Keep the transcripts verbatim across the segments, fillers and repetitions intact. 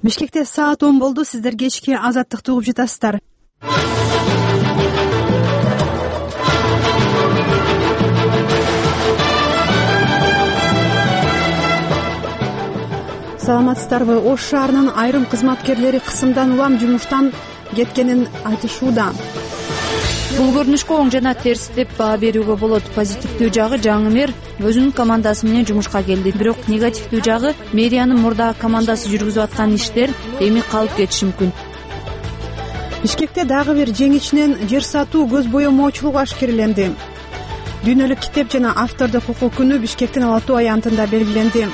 Бишкекте саат он болду. Сиздер кечки Азаттыкты угуп жатасыздар. Саламатсыздарбы? Ош шаарынын айрым кызматкерлери кысымдан улам жумуштан кеткенин айтышууда. Бул көрүнүшкө оң жана терс деп баа берүүгө болот. Позитивдүү жагы жаңы мэр өзүнүн командасы менен жумушка келди. Бирок негативдүү жагы мэриянын мурдагы командасы жүргүзүп аткан иштер эми калып кетиши мүмкүн. Бишкекте дагы бир жеңичинен жер сатуу көз боемоочулугу ашкереленди. Дүйнөлүк китеп жана автордук укук күнү Бишкектин Ала Тоо аянтында белгиленди.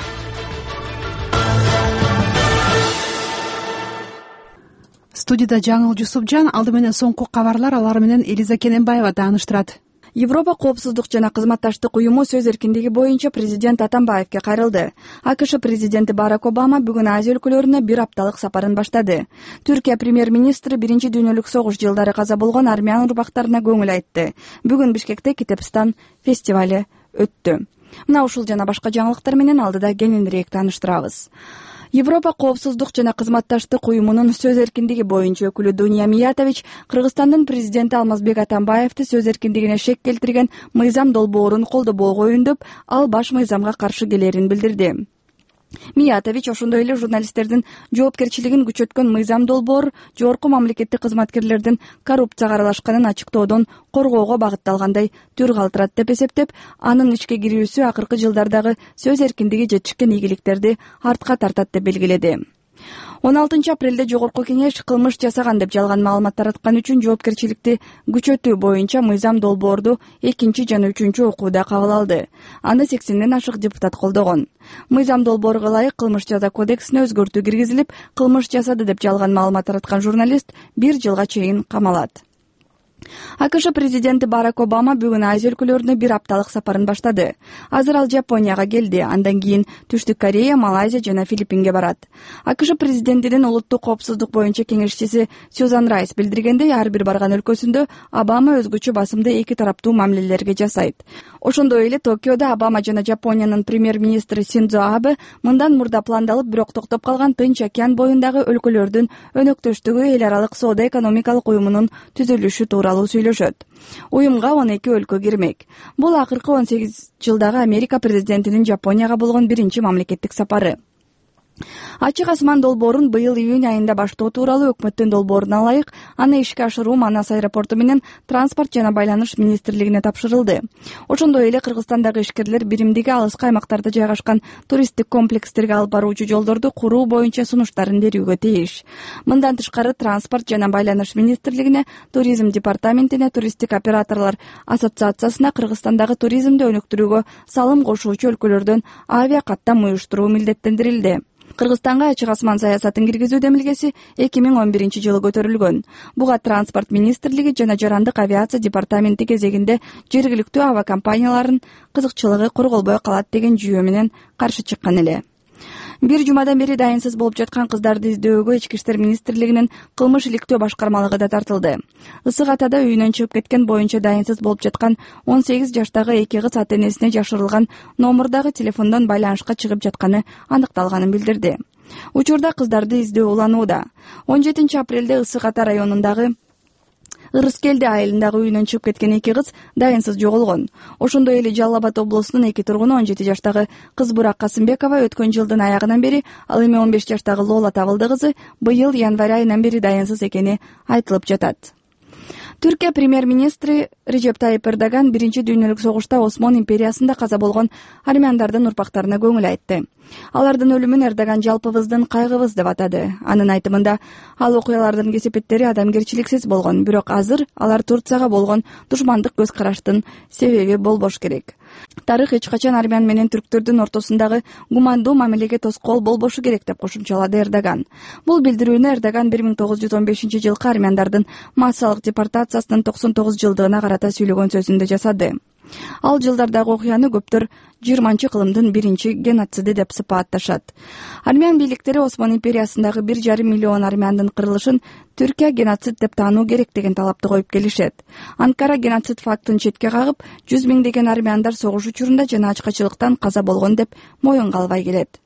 Студияда Жаңыл Жусупжан, алды менен соңку кабарлар, алар менен Элиза Кененбаева тааныштырат. Европа коопсуздук жана кызматташтык уюму сөз эркиндиги боюнча президент Атамбаевге кайрылды. АКШ президенти Барак Обама бүгүн Азия өлкөлөрүнө бир апталык сапарын баштады. Түркия премьер-министри биринчи дүйнөлүк согуш жылдары каза болгон армян урпактарына көңүл айтты. Бүгүн Бишкекте Китепстан фестивали өттү. Мына ушул жана башка жаңылыктар менен алдыда кененирээк тааныштырабыз. Европа коопсуздук жана кызматташтык уюмунун сөз эркиндиги боюнча өкүлү Дуния Миятович Кыргызстандын президенти Алмазбек Атамбаевди сөз эркиндигине шек келтирген мыйзам долбоорун колдобоого үндөп, ал баш мыйзамга каршы келерин билдирди. Миятович ошондой эле журналисттердин жоопкерчилигин күчөткөн мыйзам долбоор жогорку мамлекеттик кызматкерлердин коррупцияга аралашканын ачыктоодон коргоого багытталгандай түр калтырат деп эсептеп, анын ишке кирүүсү акыркы жылдардагы сөз эркиндиги жетишкен ийгиликтерди артка тартат деп белгиледи. он алтынчы апрелде жогорку кеңеш кылмыш жасаган деп жалган маалымат тараткан үчүн жоопкерчиликти күчөтүү боюнча мыйзам долбоорду экинчи жана үчүнчү окууда кабыл алды. Аны сексенден ашык депутат колдогон. Мыйзам долбоорго ылайык кылмыш жаза кодексине өзгөртүү киргизилип, кылмыш жасады деп жалган маалымат тараткан журналист бир жылга чейин камалат. АКШ президенти Барак Обама бүгүн Азия өлкөлөрүнө бир апталык сапарын баштады. Азыр ал Жапонияга келди, андан кийин Түштүк Корея, Малайзия жана Филиппинге барат. АКШ президентинин улуттук коопсуздук боюнча кеңешчиси Сьюзан Райс билдиргендей, ар бир барган өлкөсүндө Обама өзгөчө басымды эки тараптуу мамилелерге жасайт. Ошондой эле Токиодо Обама жана Жапониянын премьер-министри Синдзо Абе мындан мурда пландалып, бирок токтоп калган Тынч океан боюндагы өлкөлөрдүн өнөктөштүгү эл аралык соода-экономикалык уюмунун түзүлүшү тууралуу сүйлөшөт. Уюмга он эки өлкө кирмек. Бул акыркы он сегиз жылдагы Америка президентинин Жапонияга болгон биринчи мамлекеттик сапары. Ачык асман долбоорун быйыл июнь айында баштоо тууралуу өкмөттүн долбооруна ылайык аны ишке ашыруу Манас аэропорту менен Транспорт жана байланыш министрлигине тапшырылды. Ошондой эле Кыргызстандагы ишкерлер биримдиги алыскы аймактарда жайгашкан туристтик комплекстерге алып баруучу жолдорду куруу боюнча сунуштарын берүүгө тийиш. Мындан тышкары Транспорт жана байланыш министрлигине, Туризм департаментине, туристтик операторлор ассоциациясына Кыргызстандагы туризмди өнүктүрүүгө салым кошуучу өлкөлөрдөн авиа каттам уюштуруу милдеттендирилди. Кыргызстанга ачык асман саясатын киргизүү демилгеси эки миң он биринчи жылы көтөрүлгөн. Буга Транспорт министрлиги жана Жарандык авиация департаменти кезегинде жергиликтүү авиакомпаниялардын кызыкчылыгы корголбой калат деген жүйө менен каршы чыккан эле. Бир жумадан бери дайынсыз болуп жаткан кыздарды издөөгө Ички иштер министрлигинин кылмыш иликтөө башкармалыгы да тартылды. Ысык Атада үйүнөн чыгып кеткен боюнча дайынсыз болуп жаткан он сегиз жаштагы эки кыз ата-энесине жашырылган номурдагы телефондон байланышка чыгып жатканы аныкталганын билдирди. Учурда кыздарды издөө уланууда. он жетинчи апрелде Ысык Ата районундагы Ырыскелди айылындагы үйүнөн чыгып кеткен эки кыз дайынсыз жоголгон. Ошондой эле Жалал Абад облусунун эки тургуну он жети жаштагы Кызбурак Касымбекова өткөн жылдын аягынан бери, ал эми он беш жаштагы Лола Табылды кызы быйыл январь айынан бери дайынсыз экени айтылып жатат. Түркия премьер-министри Режеп Тайип Эрдоган биринчи дүйнөлүк согушта Осмон империясында каза болгон армяндардын урпактарына көңүл айтты. Алардын өлүмүн Эрдоган жалпыбыздын кайгыбыз деп атады. Анын айтымында, ал окуялардын кесепеттери адамгерчиликсиз болгон, бирок азыр алар Турцияга болгон душмандык көз караштын себеби болбош керек. Тарых эч качан армян менен түрктөрдүн ортосундагы гумандуу мамилеге тоскоол болбошу керек деп кошумчалады Эрдоган. Бул билдирүүнү Эрдоган бир миң тогуз жүз он бешинчи жылкы армяндардын массалык депортациясынын токсон тогуз жылдыгына карата сүйлөгөн сөзүндө жасады. Ал жылдардагы окуяны көптөр жыйырманчы кылымдын биринчи геноциди деп сыпаатташат. Армян бийликтери Осман империясындагы бир жарым миллион армяндын кырылышын Түркия геноцид деп таануу керек деген талапты коюп келишет. Анкара геноцид фактын четке кагып, жүз миңдеген армяндар согуш учурунда жана ачкачылыктан каза болгон деп моюнга албай келет.